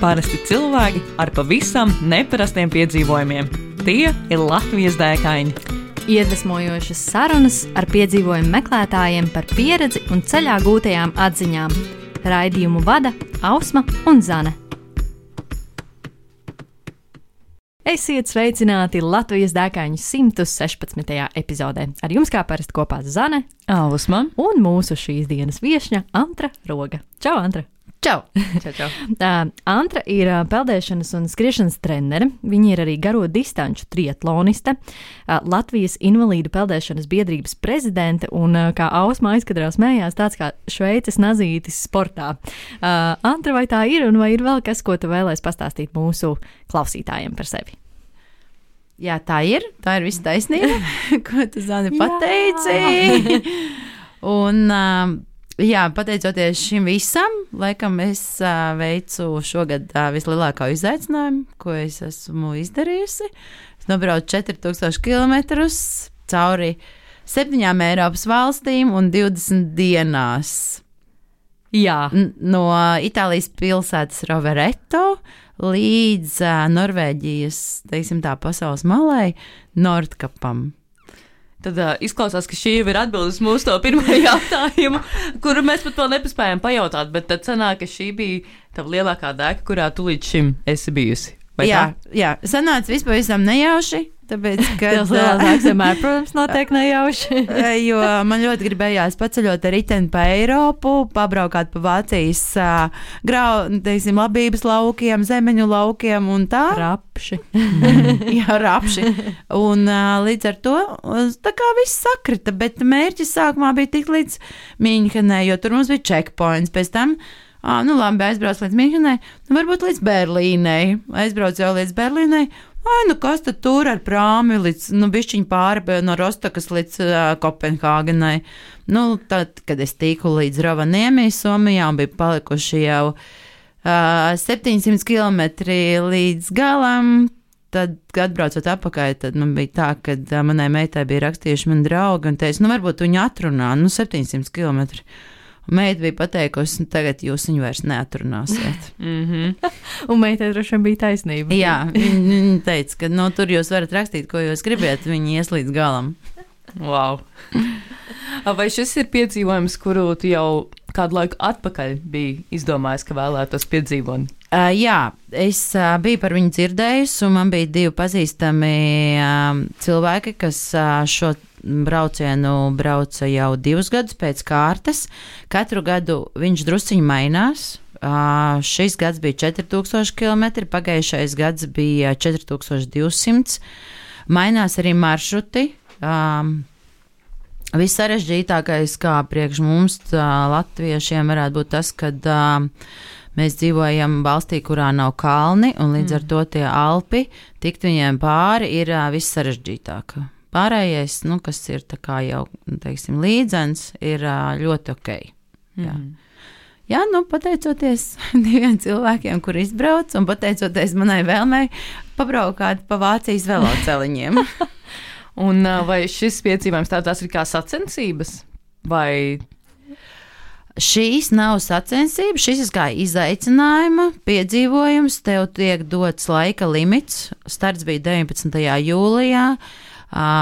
Parasti cilvēki ar pavisam neparastiem piedzīvojumiem. Tie ir Latvijas dēkaini. Iedvesmojošas sarunas ar piedzīvojumu meklētājiem par pieredzi un ceļā gūtajām atziņām. Raidījumu vada Ausma un Zane. Esiet sveicināti Latvijas dēkaņu 116. epizodē. Ar jums kā parasti kopā Zane, Ausma un mūsu šīs dienas viešņa Antra Roga. Čau, Antra! Čau! Čau. Antra ir peldēšanas un skriešanas trenere. Viņa ir arī garo distanču triatloniste, Latvijas invalīdu peldēšanas biedrības prezidente un, kā Ausma aizkadrā smējās, tāds kā Šveices nazītis sportā. Antra, vai tā ir un vai ir vēl kas, ko tu vēlēs pastāstīt mūsu klausītājiem par sevi? Jā, tā ir viss taisnība, ko tu, Zani, pateici. Un, jā, pateicoties šim visam, laikam es veicu šogad vislielāko izaicinājumu, ko es esmu izdarījusi. Es nobraucu 4000 kilometrus cauri 7 Eiropas valstīm un 20 dienās. Jā. No Itālijas pilsētas Rovereto līdz Norvēģijas, teiksim tā, pasaules malai, Nordkapam. Tad izklausās, ka šī jau ir atbildes mūsu to pirmo jautājumu, kuru mēs pat vēl nepaspējām pajautāt, bet tad sanāk, ka šī bija tava lielākā dēka, kurā tu līdz šim esi bijusi. Vai jā, sanāca vispār visam nejauši, tāpēc, ka... Tās lielākās vienmēr, protams, notiek nejauši. Jo man ļoti gribējās paceļot ar riteni pa Eiropu, pabraukāt pa Vācijas labības laukiem, zemeņu laukiem un tā. Rapši. Jā, rapši. Un līdz ar to, tā kā viss sakrita, bet mērķis sākumā bija tik līdz Mīnhenai, jo tur mums bija checkpoints, pēc tam labi, aizbrauc līdz Mīnhenai, varbūt līdz Berlīnei. Aizbrauc jau līdz Berlīnei. Kas tad tur ar prāmi līdz, bišķiņ pāri no Rostokas līdz Kopenhāgenai. Tad, kad es tiku līdz Rovaniemi, Somijā, un bija palikuši jau 700 kilometri līdz galam, tad, kad atbraucot apakaļ, tad man bija tā, kad manai meitai bija rakstījuši mani draugi, un teica, varbūt viņu atrunā, 700 kilometri. Un meita bija pateikusi, tagad jūs viņu vairs neatrunāsiet. Un meitai droši vien bija taisnība. Jā, viņa teica, ka tur jūs varat rakstīt, ko jūs gribat, viņi ies līdz galam. Wow. Vai šis ir piedzīvojums, kuru tu jau kādu laiku atpakaļ biji izdomājis, ka vēlētos piedzīvot? Jā, es biju par viņu dzirdējusi, un man bija 2 pazīstami cilvēki, kas šo braucienu brauca jau 2 gadus pēc kārtas. Katru gadu viņš drusciņi mainās. Šis gads bija 4000 km, pagājušais gads bija 4200. Mainās arī maršruti. Vissarežģītākais, kā priekš mums, latviešiem, varētu būt tas, kad mēs dzīvojam valstī, kurā nav kalni, un līdz ar to tie Alpi, tikt viņiem pāri, ir vissarežģītāk. Pārējais, kas ir tā kā jau, teiksim, līdzens, ir ļoti ok. Jā, pateicoties 2 cilvēkiem, kur izbrauc, un pateicoties manai vēlmei pabraukāt pa Vācijas veloceliņiem. Un vai šis piedzīvojums tās ir kā sacensības? Vai... Šīs nav sacensības, šis ir kā izaicinājuma piedzīvojums, tev tiek dots laika limits, starts bija 19. jūlijā,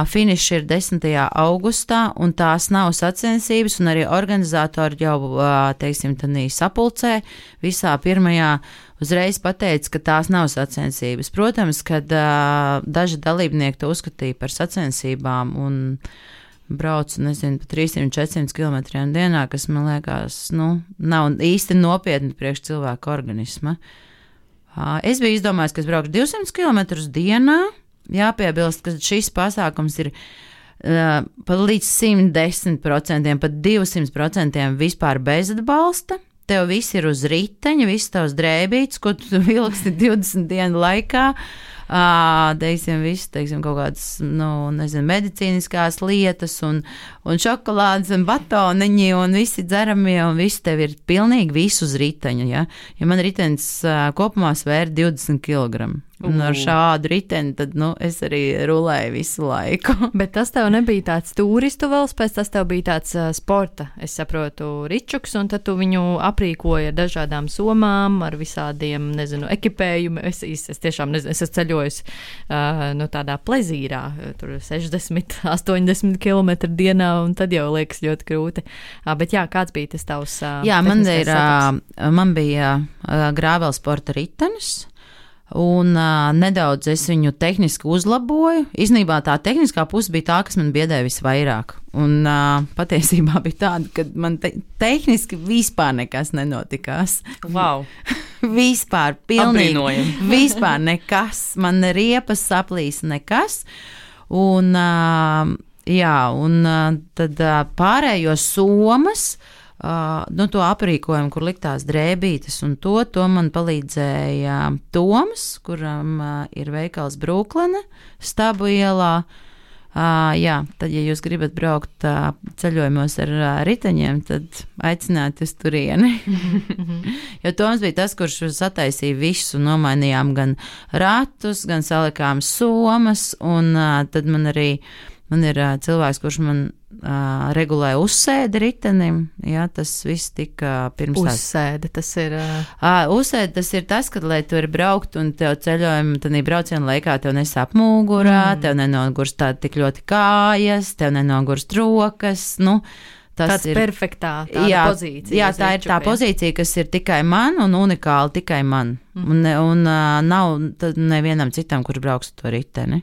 finišs ir 10. augustā, un tās nav sacensības, un arī organizatori jau, teiksim, tādī sapulcē visā pirmajā uzreiz pateica, ka tās nav sacensības. Protams, kad daži dalībnieki to uzskatīja par sacensībām un braucu, pa 300-400 kilometriem dienā, kas, man liekas, nav īsti nopietni priekš cilvēka organisma. Es biju izdomājis, ka es braukšu 200 kilometrus dienā. Jāpiebilst, ka šis pasākums ir pat līdz 110%, pat 200% vispār bez atbalsta. Tev viss ir uz riteņa, viss tavs drēbīts, ko tu vilksi 20 dienu laikā. Teiksim, kaut kādas, medicīniskās lietas un šokolādes un batoniņi un visi dzeramie un visi tev ir pilnīgi visu uz riteņa, ja man ritenis kopumā svēra 20 kg. Un ar šādu riteni tad, es arī rulēju visu laiku. Bet tas tev nebija tāds turistu valsts, tas tev bija tāds sporta, es saprotu, ričuks, un tad tu viņu aprīkoji ar dažādām somām, ar visādiem, ekipējumu. Es tiešām nezinu, es esmu ceļojusi tādā plezīrā, tur 60, 80 km dienā, un tad jau liekas ļoti grūti. Bet jā, kāds bija tas tavs man bija grāvela sporta ritenis. Un nedaudz es viņu tehniski uzlaboju. Īsnībā tā tehniskā puse bija tā, kas man biedēja visvairāk. Un patiesībā bija tāda, ka man tehniski vispār nekas nenotikās. Wow! Vispār, pilnīgi. Apbrīnojami. Vispār nekas. Man riepas saplīs nekas. Un, tad pārējo somas, to aprīkojumu, kur liktās drēbītes, un to man palīdzēja Toms, kuram ir veikals Brooklyn, Stabu ielā. Tad, ja jūs gribat braukt ceļojumos ar riteņiem, tad aicinātu uz turieni. Jo Toms bija tas, kurš sataisīja visu, nomainījām gan ratus, gan salikām somas, un tad man ir cilvēks, kurš man regulēja uzsēdi ritenim. Jā, tas viss tika pirms tās. Uzsēde, tas ir... Uzsēde, tas ir tas, kad, lai tu ir braukt un tev ceļojumu, tad braucienu laikā tev nesāp mugurā, tev nenogurst tā tik ļoti kājas, tev nenogurst rokas, Tas ir perfektā pozīcija. Jā, tā ir tā pozīcija, kas ir tikai man un unikāli tikai man. Un nav nevienam citam, kurš brauks to riteni.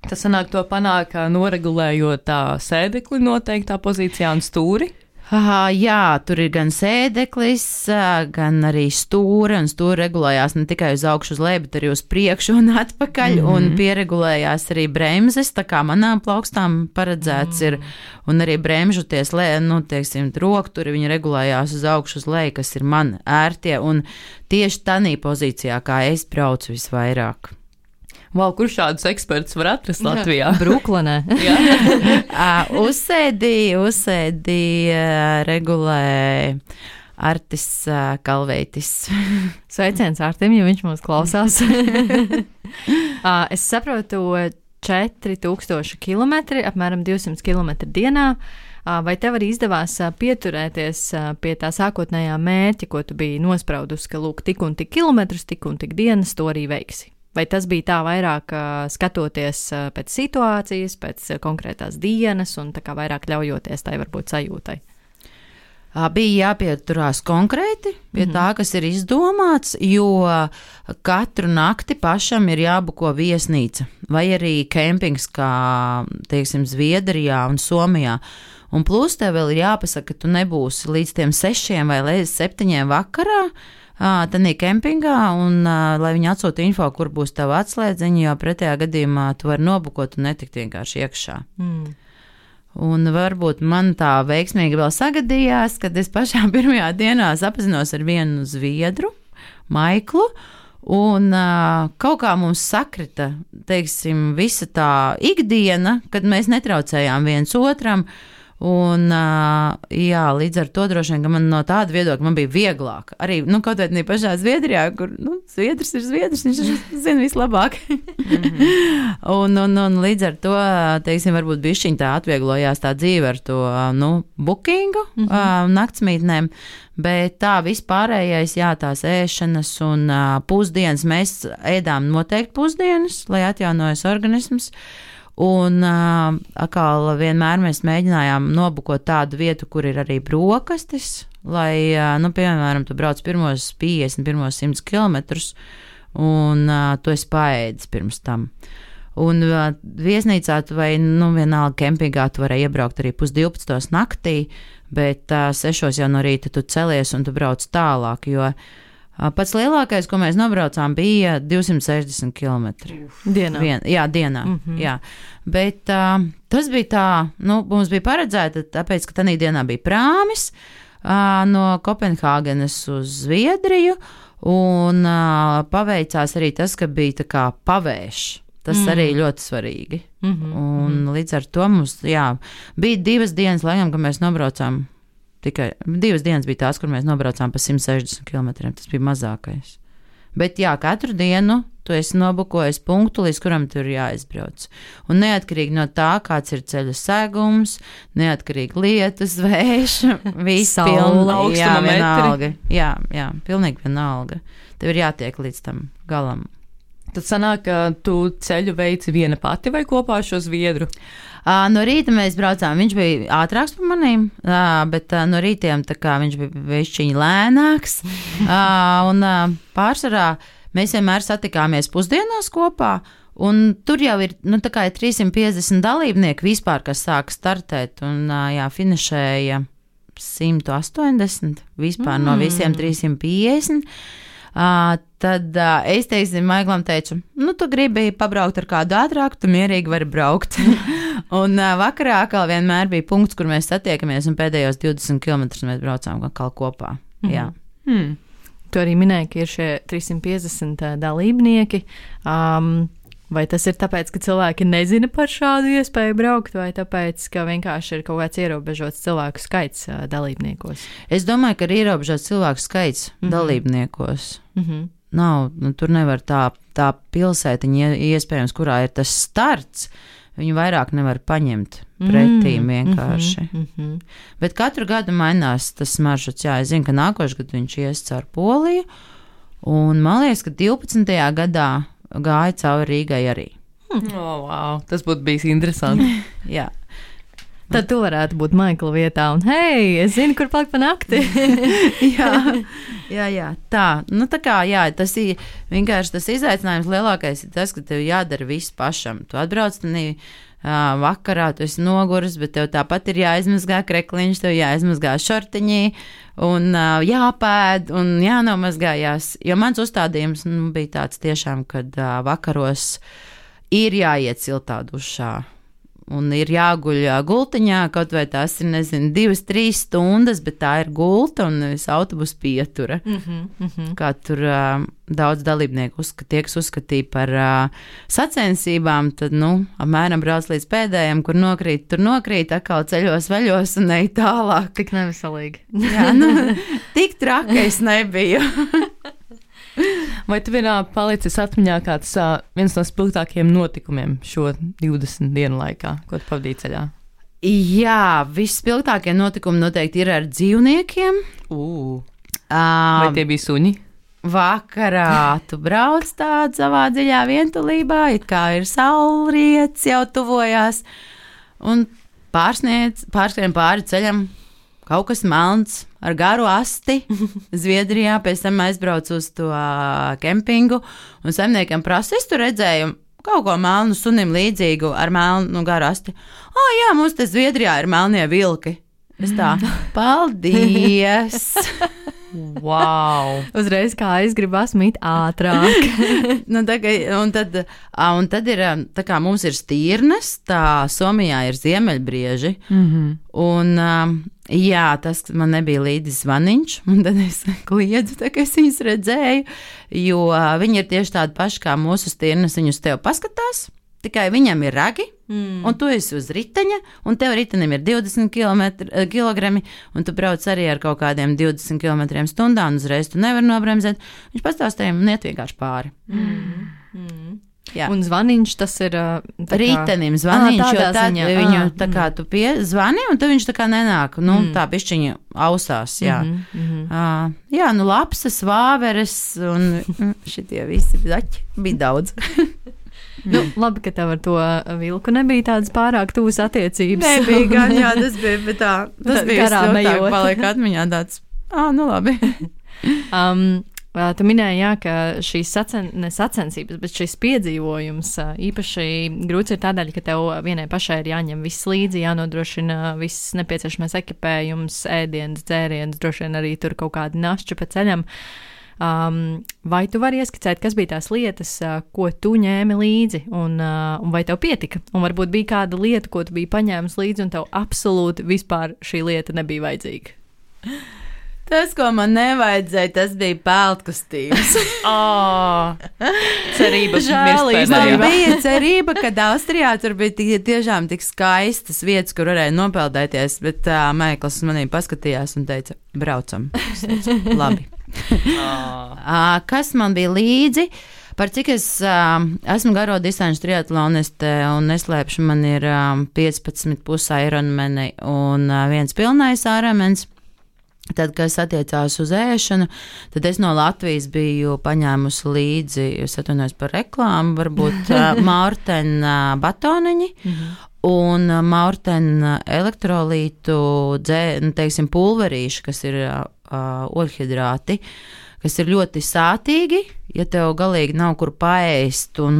Tas sanāk to panāk, noregulējot tā sēdekli noteiktā pozīcijā un stūri? Jā, tur ir gan sēdeklis, gan arī stūri, un stūri regulējās ne tikai uz augšu uz leju, bet arī uz priekšu un atpakaļ, un pieregulējās arī bremzes, tā kā manām plaukstām paredzēts ir, un arī bremžu rokturi, viņi regulējās uz augšu uz leju, kas ir man ērtie, un tieši tanī pozīcijā, kā es braucu visvairāk. Wow, kur šādus ekspertus var atrast Latvijā? Brooklynē. Uzsēdi regulē Artis Kalveitis. Sveiciens Artim, ja viņš mūs klausās. Es saprotu 4000 km, apmēram 200 km dienā. Vai tev arī izdevās pieturēties pie tā sākotnējā mērķa, ko tu biji nospraudus, ka lūk, tik un tik kilometrus, tik un tik dienas, to arī veiksi? Vai tas bija tā vairāk skatoties pēc situācijas, pēc konkrētās dienas un tā kā vairāk ļaujoties tai varbūt sajūtai? Bija jāpieturās konkrēti pie tā, kas ir izdomāts, jo katru nakti pašam ir jābuko viesnīca vai arī kempings, kā, teiksim, Zviedrijā un Somijā. Un plus tev vēl ir jāpasaka, ka tu nebūsi līdz tiem 6 vai līdz 7 vakarā, tanī kempingā, un lai viņi atsūta info, kur būs tava atslēdziņa, jo pretējā gadījumā tu vari nobukot un netikt vienkārši iekšā. Un varbūt man tā veiksmīgi vēl sagadījās, kad es pašā pirmajā dienā sapazinos ar vienu zviedru, Maiklu, un kaut kā mums sakrita, teiksim, visa tā ikdiena, kad mēs netraucējām viens otram. Un, līdz ar to droši vien, ka man no tāda viedokļa man bija vieglāk. Arī, kaut vai pašā Zviedrijā, kur, Zviedrs ir Zviedrs, viņš zina vislabāk. un līdz ar to, teiksim, varbūt bišķiņ tā atvieglojās tā dzīve ar to, bookingu, naktsmītnēm, bet tā vispārējais, tās ēšanas un pusdienas, mēs ēdām noteikti pusdienas, lai atjaunojas organisms. Un atkal vienmēr mēs mēģinājām nobukot tādu vietu, kur ir arī brokastis, lai, piemēram, tu brauc pirmos 50, pirmos 100 kilometrus, un tu esi paēdis pirms tam. Un viesnīcā tu vai, vienalga kempingā tu varēji iebraukt arī 11:30 naktī, bet 6 jau no rīta tu celies un tu brauc tālāk, jo pats lielākais, ko mēs nobraucām, bija 260 km. Dienā. Dienā. Jā. Bet tas bija tā, mums bija paredzēta, tāpēc, ka tanī dienā bija prāmis no Kopenhāgenes uz Zviedriju, un paveicās arī tas, ka bija tā kā pavējš. Tas arī ļoti svarīgi. Un līdz ar to mums, bija 2 dienas, laikam, ka mēs nobraucām. Tikai 2 dienas bija tās, kur mēs nobraucām pa 160 km. Tas bija mazākais. Bet jā, katru dienu tu esi nobukojis punktu, līdz kuram tur ir jāizbrauc. Un neatkarīgi no tā, kāds ir ceļa segums, neatkarīgi lietus, vējš, viss pilnīgi vienalga. Jā, pilnīgi vienalga. Tev ir jātiek līdz tam galam. Tad sanāk, ka tu ceļu veici viena pati vai kopā ar šo zviedru? No rīta mēs braucām, viņš bija ātrāks par manīm, bet no rītiem tā kā viņš bija vešķiņi lēnāks. Un pārsvarā mēs vienmēr satikāmies pusdienās kopā, un tur jau ir, tā kā ir 350 dalībnieki vispār, kas sāk startēt, un finišēja 180 vispār no visiem 350. Tad es, teiksim, Maiglam teicu, tu gribi pabraukt ar kādu ātrāku, tu mierīgi vari braukt. Un vakarā atkal vienmēr bija punkts, kur mēs satiekamies, un pēdējos 20 km mēs braucām atkal kopā. Jā. Tu arī minēji, ka ir šie 350 dalībnieki. Vai tas ir tāpēc, ka cilvēki nezina par šādu iespēju braukt, vai tāpēc, ka vienkārši ir kaut kāds ierobežots cilvēku skaits dalībniekos? Es domāju, ka ir ierobežots cilvēku skaits dalībniekos. Nav, tur nevar tā pilsētiņa iespējams, kurā ir tas starts, viņu vairāk nevar paņemt pretīm vienkārši. Bet katru gadu mainās tas maršruts. Jā, es zinu, ka nākošais gads viņš ies caur Poliju, un man liekas, ka 12. gadā gāja cauri Rīgai arī. Wow, tas būtu bijis interesanti. Jā. Tad tu varētu būt Maikla vietā un, hei, es zinu, kur palikt pa nakti. jā. Tā. Tā kā, jā, tas ir vienkārši tas izaicinājums lielākais ir tas, ka tev jādara viss pašam. Tu atbrauc vakarā, tu esi noguris, bet tev tāpat ir jāizmazgā krekliņš, tev jāizmazgā šortiņī un jāpēd un jānomazgājās. Jo mans uzstādījums bija tāds tiešām, kad vakaros ir jāiet siltā dušā. Un ir jāguļ gultiņā, kaut vai tās ir, 2-3 stundas, bet tā ir gulta un nevis autobusu pietura. Kā tur daudz dalībnieku tiek uzskatīja par sacensībām, tad, apmēram brauc līdz pēdējiem, kur nokrīt, tur nokrīt, atkal ceļos vaļos un ej tālāk. Tik neveselīgi. Jā, tik trakais nebija. Vai tu vienā palicis atmiņā kāds viens no spilgtākajiem notikumiem šo 20 dienu laikā, ko tu pavadīji ceļā? Jā, visspilgtākie notikumi noteikti ir ar dzīvniekiem. Vai tie bija suņi? Vakarā tu brauc tādā savā dziļā vientulībā, it kā ir saulriets jau tuvojās, un pārskrien pāri ceļam kaut kas melns ar garu asti Zviedrijā, pēc tam aizbraucu uz to kempingu, un saimniekam prasa, es tur redzēju kaut ko melnu sunim līdzīgu ar melnu garu asti. Jā, mums te Zviedrijā ir melnie vilki. Es tā, paldies! Wow! Uzreiz kā es gribu asmīt ātrāk. Un tad ir, tā kā mums ir stirnas, tā Somijā ir ziemeļbrieži, un jā, tas man nebija līdzi zvaniņš, un tad es kliedzu, tā kā es viņus redzēju, jo viņi ir tieši tādi paši kā mūsu stirnas, viņus tev paskatās, tikai viņam ir ragi, un tu esi uz riteņa, un tev ritenim ir 20 kilogrami, un tu brauc arī ar kaut kādiem 20 km/h, un uzreiz tu nevari nobremzēt. Viņš pastāstīja un iet vienkārši pāri. Jā. Un zvaniņš tas ir ritenim zvaniņš, jo tad viņu tā kā tu zvani, un tad viņš tā kā nenāk, tā bišķiņa ausās, jā. Jā, lapsas, vāveres, un šitie visi zaķi bija daudz. Labi, ka tev ar to vilku nebija tādas pārāk tuvas attiecības. Nebija gan, jā, tas bija, bet tas bija stiltāk, paliek atmiņā tāds, labi. Tu minēji, jā, ka šīs sacensības, bet šis piedzīvojums īpaši grūts ir tādēļ, ka tev vienai pašai ir jāņem viss līdzi, jānodrošina viss nepieciešamais ekipējums, ēdienas, dzēriens, droši vien arī tur kaut kādi našķi pa ceļam. Vai tu vari ieskicēt, kas bija tās lietas, ko tu ņēmi līdzi, un vai tev pietika? Un varbūt bija kāda lieta, ko tu biji paņēmis līdzi, un tev absolūti vispār šī lieta nebija vajadzīga? Tas, ko man nevajadzēja, tas bija peltkustības. Cerība. Man bija cerība, ka Austrijā tur bija tiešām tik skaistas vietas, kur varēja nopeldēties, bet Maikls manī paskatījās un teica, braucam. Labi. Kas man bija līdzi? Par cik es esmu garo distanču triatloniste un neslēpšu, man ir 15,5 Ironmani un viens pilnais Ironmans. Tad, kas attiecās uz ēšanu, tad es no Latvijas biju paņēmusi līdzi, es atvainojos par reklāmu, varbūt Maurtena batoniņi un Maurtena elektrolītu, teiksim, pulverīši, kas ir oļhidrāti, kas ir ļoti sātīgi, ja tev galīgi nav kur paēst un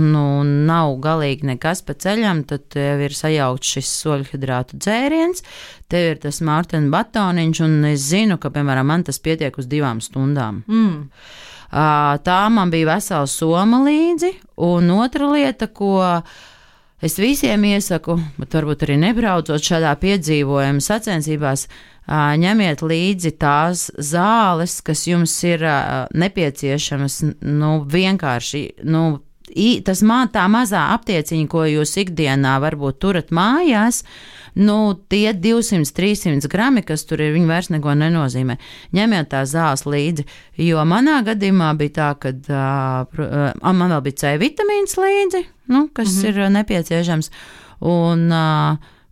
nav galīgi nekas pa ceļam, tad tev ir sajaukts šis oļhidrātu dzēriens, tev ir tas Maurtena batoniņš, un es zinu, ka, piemēram, man tas pietiek uz 2 stundām. Tā man bija vesela soma līdzi, un otra lieta, ko es visiem iesaku, bet varbūt arī nebraucot šādā piedzīvojuma sacensībās, ņemiet līdzi tās zāles, kas jums ir nepieciešamas, vienkārši, tā mazā aptieciņa, ko jūs ikdienā varbūt turat mājās, tie 200-300 grami, kas tur ir, viņi vairs neko nenozīmē. Ņemiet tās zāles līdzi, jo manā gadījumā bija tā, kad man vēl bija C vitamīns līdzi, kas ir nepieciešams, un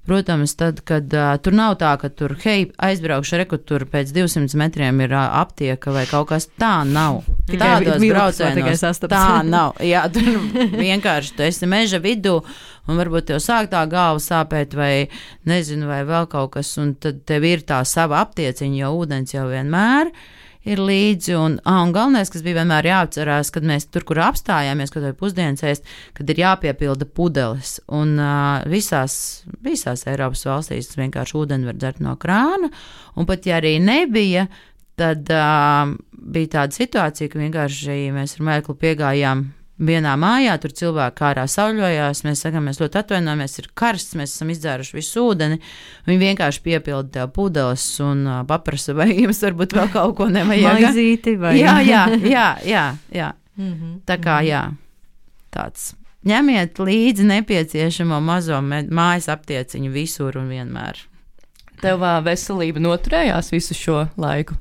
protams, tad, kad tur nav tā, ka tur, aizbraukšu, tur pēc 200 metriem ir aptieka vai kaut kas, tā nav. Tādos braucienos tā nav. Jā, tur vienkārši tu esi meža vidū un varbūt tev sāk tā galva sāpēt vai nezinu, vai vēl kaut kas, un tad tev ir tā sava aptieciņa, jo ūdens jau vienmēr ir līdzi, un galvenais, kas bija vienmēr jāatcerās, kad mēs tur, kur apstājāmies, kad vai pusdienas ēst, kad ir jāpiepilda pudeles, un visās Eiropas valstīs vienkārši ūdeni var dzert no krāna, un pat ja arī nebija, tad bija tāda situācija, ka vienkārši mēs ar Mēklu piegājām vienā mājā, tur cilvēki ārā sauļojās, mēs sakām, mēs ļoti atvainojamies, ir karsts, mēs esam izdzēruši visu ūdeni, viņi vienkārši piepilda tev pudeles un paprasa, vai jums varbūt vēl kaut ko nevajag. Maizīti vai? Jā. Tā kā, tāds. Ņemiet līdzi nepieciešamo mazo mājas aptieciņu visur un vienmēr. Tev veselība noturējās visu šo laiku?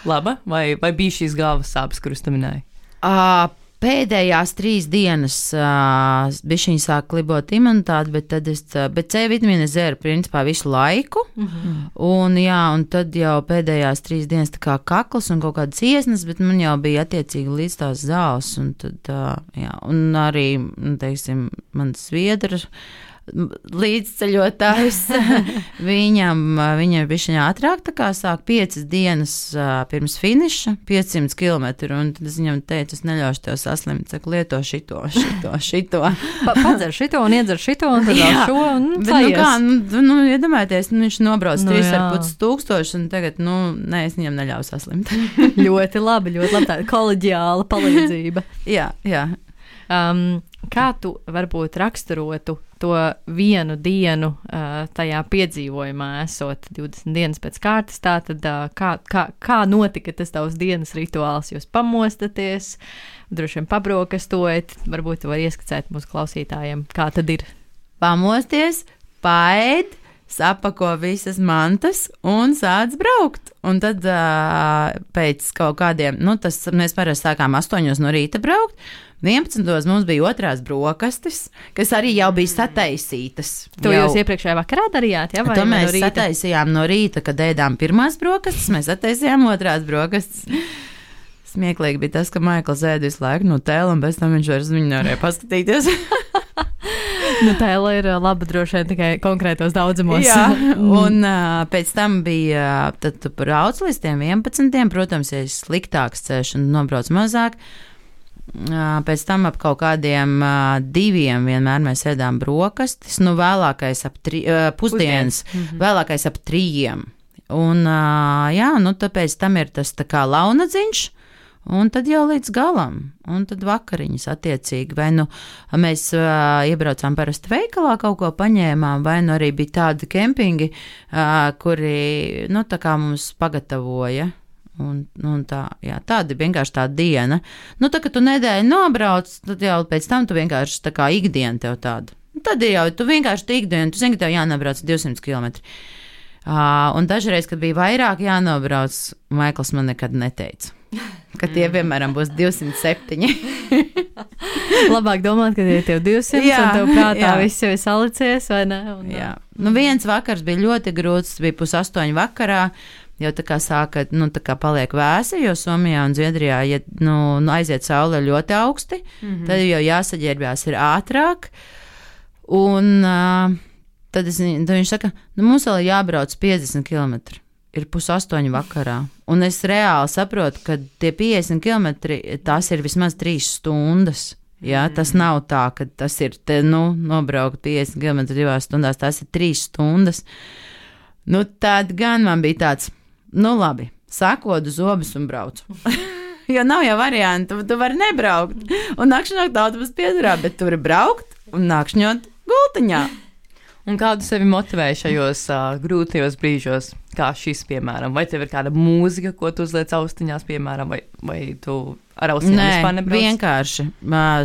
Laba? Vai bija šīs galvas sāpes, kuras tu minēji? Pēdējās 3 dienas bišķiņi sāk klibot imunitāti, bet C vitamīnu es dzēru principā visu laiku, un tad jau pēdējās 3 dienas tā kā kakls un kaut kādas iesnas, bet man jau bija attiecīgi līdz tās zāles, un tad, un arī, teiksim, mans sviedra līdzceļotājs, viņam bišķiņā ātrāk tā kā sāk 5 dienas pirms finiša, 500 kilometru, un tad es viņam teicu, es neļaušu tev saslimt, saku, lieto šito. Padzer šito un iedzer šito, un tad vēl šo, un sajies. Iedomājieties, viņš nobrauc 3,5 tūkstoši, un tagad, es viņam neļauju saslimt. Ļoti labi, tāda koleģiāla palīdzība. Jā. Kā tu varbūt raksturotu to vienu dienu tajā piedzīvojumā, esot 20 dienas pēc kārtas, tātad kā notika tas tavs dienas rituāls? Jūs pamostaties, droši vien pabrokastojat, varbūt tu vari ieskicēt mūsu klausītājiem, kā tad ir? Pamosties, paēd, sapako visas mantas un sāc braukt. Un tad pēc kaut kādiem, mēs parasti sākām 8 no rīta braukt, 11. mums bija otrās brokastis, kas arī jau bija sataisītas. To jūs iepriekšējā vakarā darījāt, ja? To mēs sataisījām no rīta, kad ēdām pirmās brokastis, mēs sataisījām otrās brokastis. Smieklīgi bija tas, ka Maikls ēd visu laiku Nutellu, un bez tam viņš vairs viņu nevarēja paskatīties. Nutella ir laba droši vien tikai konkrētos daudzumos. Jā, un pēc tam bija, tad tu brauc līdz tiem 11. Protams, ja ir sliktāks ceļš un nobrauc mazāk, pēc tam ap kaut kādiem 2 vienmēr mēs ēdām brokastis, vēlākais ap pusdienas, vēlākais ap 3. Un, tāpēc tam ir tas tā kā launadziņš, un tad jau līdz galam, un tad vakariņas attiecīgi, vai mēs iebraucām parasti veikalā, kaut ko paņēmām, vai arī bija tādi kempingi, kuri, tā kā mums pagatavoja. Un tāda vienkārši tā diena. Tā, ka tu nedēļu nobrauc, tad jau pēc tam tu vienkārši tā kā ikdiena tev tāda. Tad jau tu vienkārši ikdienu, tu zini, ka tev jānobrauc 200 kilometri. Un dažreiz, kad bija vairāk jānobrauc, Maikls man nekad neteica. ka tie, piemēram, būs 207. Labāk domāt, ka tie tev 200, Jā, un tev prātā jā. viss jau ir salicies, vai ne? Un, Jā. Nu, viens vakars bija ļoti grūts, bija 7:30 vakarā, jau tā kā sāka, nu, tā kā paliek vēsi, jo Somijā un Zviedrijā, ja, aiziet saule ļoti augsti, tad jau jāsaģērbjās ir ātrāk, un tad viņš saka, nu, mums vēl ir jābrauc 50 km. Ir 7:30 vakarā, un es reāli saprotu, ka tie 50 km, tās ir vismaz 3 stundas. Ja? Tas nav tā, ka tas ir, nobraukt 50 km 2 stundās, tas ir 3 stundas. Nu, tad gan man bija tāds, nu labi, sakodu zobus un braucu. Jo nav jau variantu, tu vari nebraukt, un nakšņot autobus pieturā, bet tu vari braukt un nakšņot gultiņā. Un kādu sevi motivēja šajos grūtajos brīžos, kā šis, piemēram? Vai tev ir kāda mūzika, ko tu uzliec austiņās, piemēram, vai tu ar austiņām vispār nebrauc? Nē, vienkārši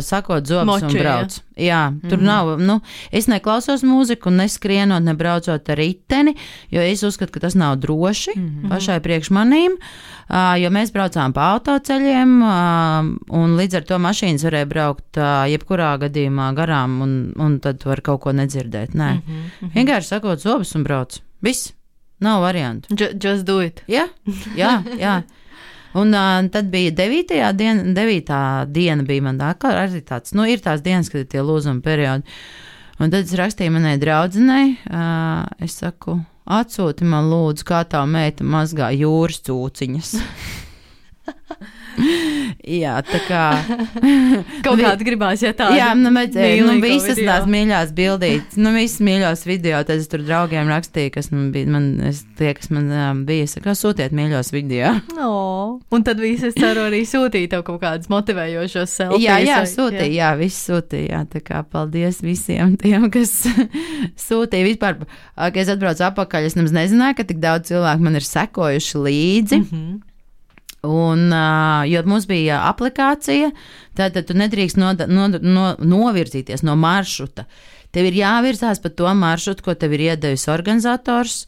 sakot zobus un brauc. Jā, tur nav, es neklausos mūziku un neskrienot, nebraucot ar riteni, jo es uzskatu, ka tas nav droši pašai priekš manīm, jo mēs braucām pa autoceļiem, un līdz ar to mašīnas varēja braukt jebkurā gadījumā garām, un tad var kaut ko nedzirdēt. Nē, vienkārši sakot zobus un brauc. Viss, nav variantu. Just do it. Jā. Un tad bija 9. diena bija man arī tāds, ir tās dienas, kad ir tie lūzuma periodi. Un tad es rakstīju manai draudzenei, es saku, atsūti man lūdzu, kā tā meita mazgā jūras cūciņas. Jā, tā kā kaut kāds gribās, ja tā. Jā, visas tās mīļās bildītes, visas mīļās video, tad es tur draugiem rakstīju, kas man bija, kas man bija, saka, sūtiet mīļos video. Un tad visi, es ceru, arī sūtīja tev kaut kādus motivējošos selfies. Jā, sūtīja, viss sūtīja, tā kā paldies visiem tiem, kas sūtīja vispār, kad es atbraucu apakaļ, es nemaz nezināju, ka tik daudz cilvēku man ir sekojuši līdzi. Un, jo mums bija aplikācija, tad tu nedrīkst novirzīties no maršruta. Tev ir jāvirzās pa to maršrutu, ko tev ir iedevis organizators.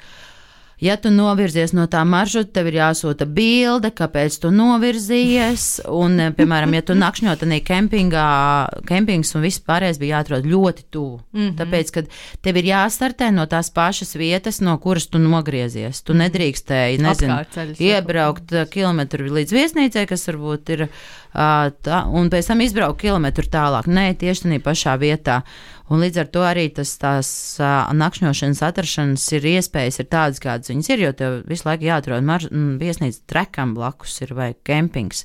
Ja tu novirzies no tā maršruta, tev ir jāsūta bilde, kāpēc tu novirzījies. Un, piemēram, ja tu nakšņot tanī kempings un viss pārējais bija jāatrod ļoti tuvu. Tāpēc, kad tev ir jāstartē no tās pašas vietas, no kuras tu nogriezies. Tu nedrīkstēji, iebraukt kilometru līdz viesnīcai, kas varbūt ir tā, un pēc tam izbraukt kilometru tālāk. Nē, tieši tanī pašā vietā. Un līdz ar to arī tās nakšņošanas atrašanas ir iespējas ir tādas, kādas viņas ir, jo tev visu laiku jāatrod viesnīca trekam blakus ir vai kempings.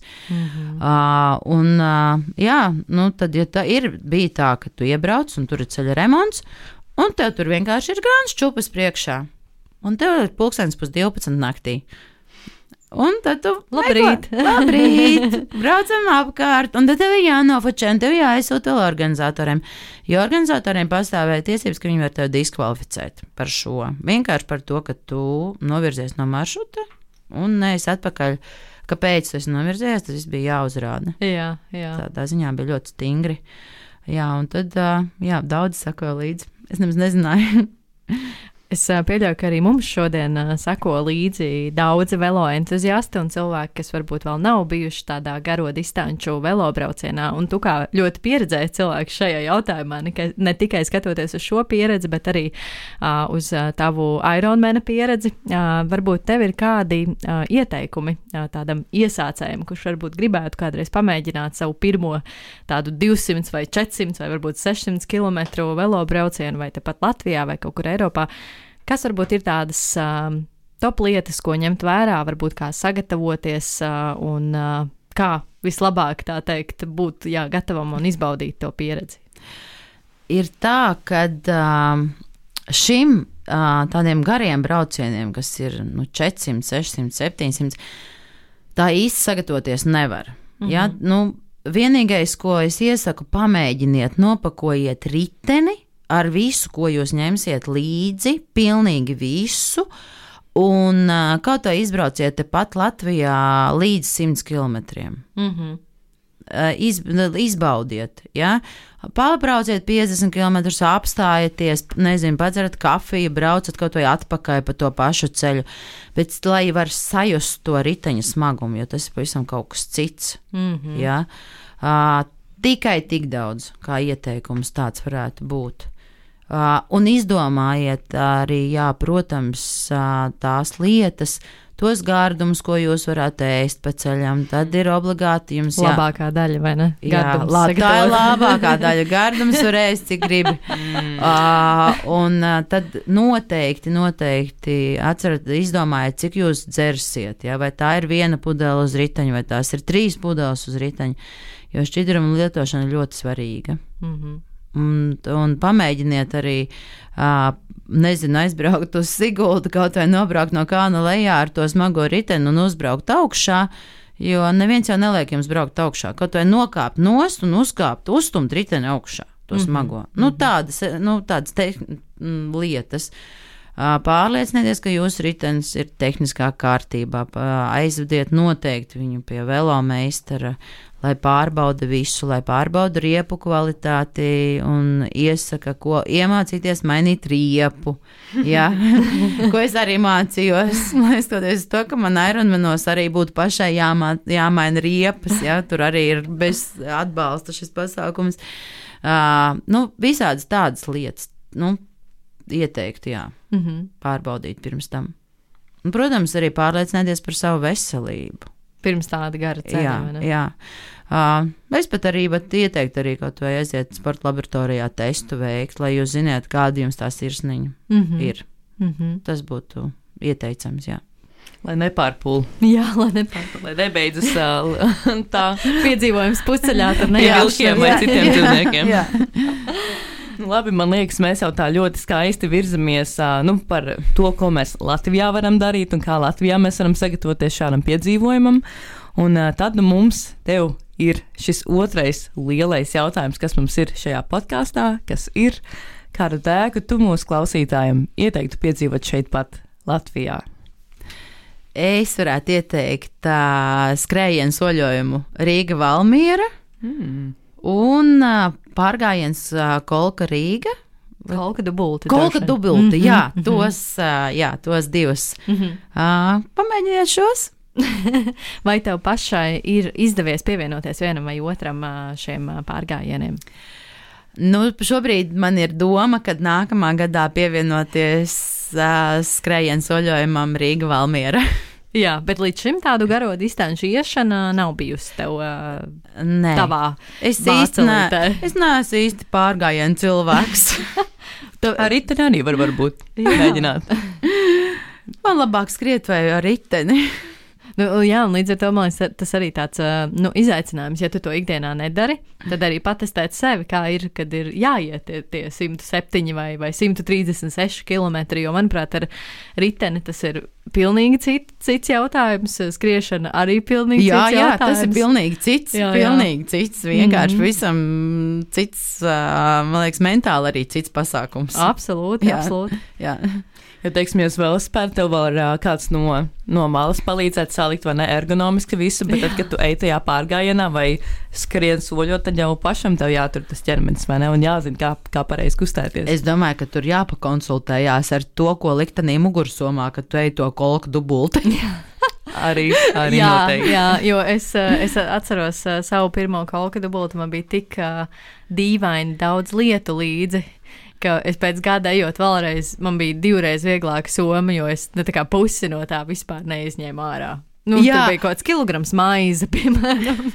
Tad, ja bija tā, ka tu iebrauc un tur ir ceļa remonts, un tev tur vienkārši ir grāns čupas priekšā, un tev ir 11:30 naktī. Un tad tu labrīt, braucam apkārt, un tad tev ir jānofočē, un tev jāaizsūta vēl organizatoriem, jo organizatoriem pastāvēja tiesības, ka viņi var tevi diskvalificēt par šo. Vienkārši par to, ka tu novirzies no maršruta, un neesi atpakaļ, kāpēc tu esi novirzies, tas viss bija jāuzrāda. Jā. Tā ziņā bija ļoti stingri. Jā, un tad, daudzi sakoja līdzi. Es nemaz nezināju. Es pieļauju, ka arī mums šodien seko līdzi daudzi velo entuziasti un cilvēki, kas varbūt vēl nav bijuši tādā garo distanču velo braucienā. Un tu kā ļoti pieredzējis cilvēks šajā jautājumā, ne tikai skatoties uz šo pieredzi, bet arī uz tavu Ironmana pieredzi. Varbūt tev ir kādi ieteikumi tādam iesācējam, kurš varbūt gribētu kādreiz pamēģināt savu pirmo tādu 200 vai 400 vai varbūt 600 km velo braucienu vai tepat Latvijā vai kaut kur Eiropā. Kas varbūt ir tādas top lietas, ko ņemt vērā, varbūt kā sagatavoties un kā vislabāk, tā teikt, būt gatavam un izbaudīt to pieredzi? Ir tā, ka šim tādiem gariem braucieniem, kas ir 400, 600, 700, tā īsti sagatavoties nevar. Ja? Vienīgais, ko es iesaku, pamēģiniet, nopakojiet riteni, ar visu, ko jūs ņemsiet līdzi, pilnīgi visu, un kaut kā izbrauciet tepat Latvijā līdz 100 kilometriem. izbaudiet, ja? Pabrauciet 50 km, apstājieties, nezinu, padzerat kafiju, braucat kaut vai atpakaļ pa to pašu ceļu, bet lai var sajust to riteņa smagumu, jo tas ir pavisam kaut kas cits, ja? Tikai tik daudz, kā ieteikums tāds varētu būt. Un izdomājiet arī, jā, protams, tās lietas, tos gārdumus, ko jūs varat ēst pa ceļam, tad ir obligāti jums labākā daļa, vai ne? Jā, tā ir labākā daļa. Gardums var ēst, cik gribi. Un tad noteikti atcerat, izdomājiet, cik jūs dzersiet, ja? Vai tā ir 1 pudele uz riteņa, vai tās ir 3 pudeles uz riteņa, jo šķidrumu lietošana ir ļoti svarīga. Un pamēģiniet arī, nezinu, aizbraukt uz Sigultu, kaut vai nobraukt no kalna lejā ar to smago riteni un uzbraukt augšā, jo neviens jau neliek jums braukt augšā, kaut vai nokāpt nost un uzstumt riteni augšā, to smago. Tādas lietas. Pārliecinieties, ka jūsu ritenis ir tehniskā kārtībā, aizvediet noteikti viņu pie velomeistara, lai pārbauda visu, lai pārbauda riepu kvalitāti un iesaka, ko iemācīties mainīt riepu, ja? Ko es arī mācījos, skatoties to, ka man Ironmanos arī būtu pašai jāmaina riepas, ja? Tur arī ir bez atbalsta šis pasākums. Visādas tādas lietas, ieteikti, jā, pārbaudīt pirms tam. Un, protams, arī pārliecinieties par savu veselību. Pirms tāda gara ceļa, vai ne? Jā. Es pat arī ieteiktu arī kaut vai aiziet sporta laboratorijā testu veikt, lai jūs ziniet, kāda jums tā sirsniņa ir. Tas būtu ieteicams, jā. Lai nepārpūl. Jā, lai nebeidzas tā piedzīvojums pusceļā ar vilkiem vai citiem dzīvniekiem. Jā. Labi, man liekas, mēs jau tā ļoti skaisti virzamies par to, ko mēs Latvijā varam darīt un kā Latvijā mēs varam sagatavoties šādam piedzīvojumam. Un tad mums tev ir šis otrais lielais jautājums, kas mums ir šajā podkāstā, kas ir, kādu dēku tu mūsu klausītājiem ieteiktu piedzīvot šeit pat Latvijā? Es varētu ieteikt skrējienu soļojumu Rīga-Valmiera un pārgājiens Kolka Rīga. Kolka dubulti. Kolka dubulti, jā, tos divus. Pamēģiniet šos. Vai tev pašai ir izdevies pievienoties vienam vai otram šiem pārgājieniem? Šobrīd man ir doma, kad nākamā gadā pievienoties skrējienu soļojumam Rīga-Valmiera. Jā, bet līdz šim tādu garo distanču iešana nav bijusi tev tavā mācelītē. Es neesmu īsti pārgājienu cilvēks. Ar riteni arī varbūt mēģināt. Man labāk skriet vai ar riteni. Jā, un līdz ar to man liekas, tas arī tāds izaicinājums, ja tu to ikdienā nedari, tad arī patestēt sevi, kā ir, kad ir jāiet tie 107 vai 136 kilometri, jo, manuprāt, ar riteni tas ir pilnīgi cits jautājums, skriešana arī pilnīgi cits jautājums. Jā, tas ir pilnīgi cits, pilnīgi cits, vienkārši visam cits, man liekas, mentāli arī cits pasākums. Absolūti. Jā. Ja, teiksim, jūs vēl spēr, tev vēl kāds no malas palīdzēt salikt vai ne ergonomiski visu, bet tad, kad tu ej tajā pārgājienā vai skrien soļot, tad jau pašam tev jātur tas ķermenis, vai ne, un jāzina, kā pareizi kustēties. Es domāju, ka tur jāpakonsultējās ar to, ko liktenī mugursomā, kad tu ej to kolku dubulti. Arī noteikti. Jā, jo es atceros savu pirmo kolku dubulti, man bija tik dīvaini daudz lietu līdzi, ka es pēc gada ejot vēlreiz, man bija 2 reizes vieglāka soma, jo es tā kā pusi no tā vispār neizņēmu ārā. Tur bija kaut kāds kilograms maize, piemēram,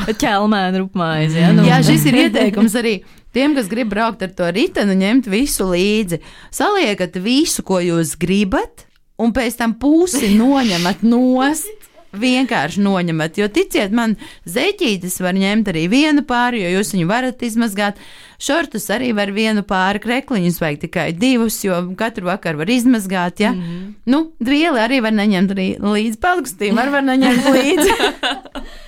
ķelmēna rupmaize. Ja? Jā, šis ir ieteikums arī tiem, kas grib braukt ar to riteni, ņemt visu līdzi. Saliekat visu, ko jūs gribat, un pēc tam pusi noņemat nost. Vienkārši noņemat, jo ticiet man, zeķītes var ņemt arī 1 pāri, jo jūs viņu varat izmazgāt. Šortus arī var 1 pāri, krekliņus vajag tikai 2, jo katru vakaru var izmazgāt, ja. Dvieli arī var neņemt līdzi, pelkstīm var neņemt līdzi.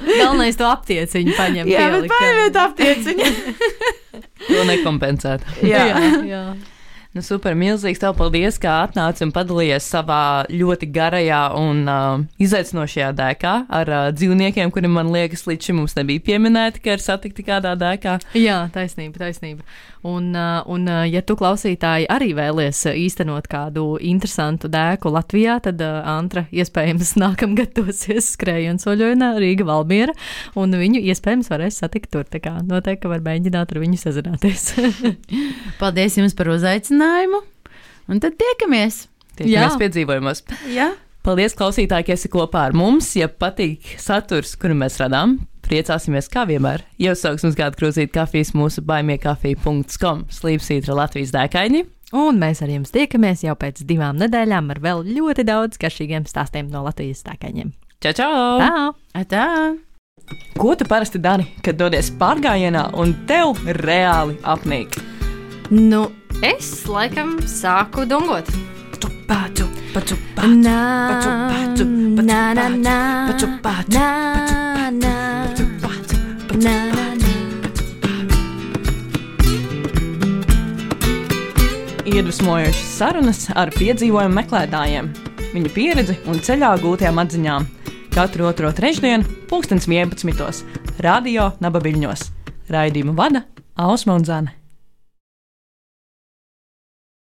Galvenais to aptieciņu paņemt. Jā, bet paņemiet aptieciņu. To nekompensēt. Jā. Nu, super, milzīgs tev paldies, ka atnāci un padalījies savā ļoti garajā un izaicinošajā dēkā ar dzīvniekiem, kuri, man liekas, līdz šim mums nebija pieminēti, ka ir satikti kādā dēkā. Jā, taisnība. Un, ja tu klausītāji arī vēlies īstenot kādu interesantu dēku Latvijā, tad Antra iespējams nākamgad dosies skrējienu soļojumu Rīga Valmiera, un viņu iespējams varēs satikt tur. Tā kā noteikti var mēģināt ar viņu sazināties. Paldies jums par uzaicinājumu, un tad tiekamies Piedzīvojumos. Jā. Paldies, klausītāji, ka esi kopā ar mums. Ja patīk saturs, kuru mēs radām, priecāsimies kā vienmēr. Iesauks mums kādu krūzīti kafijas mūsu baimiekafija.com /Latvijas dēkaini. Un mēs ar jums tiekamies jau pēc 2 nedēļām ar vēl ļoti daudz garšīgiem stāstiem no Latvijas dēkaņiem. Čau! Tā! Tā! Ko tu parasti dari, kad dodies pārgājienā un tev reāli apnīk? Nu, es laikam sāku dungot. Iedvesmojošas sarunas ar piedzīvojumu meklētājiem, viņu pieredzi un ceļā gūtajām atziņām. Katru otro trešdienu, 11:00, Radio Naba Viļņos. Raidījumu vada Ausma un Zane.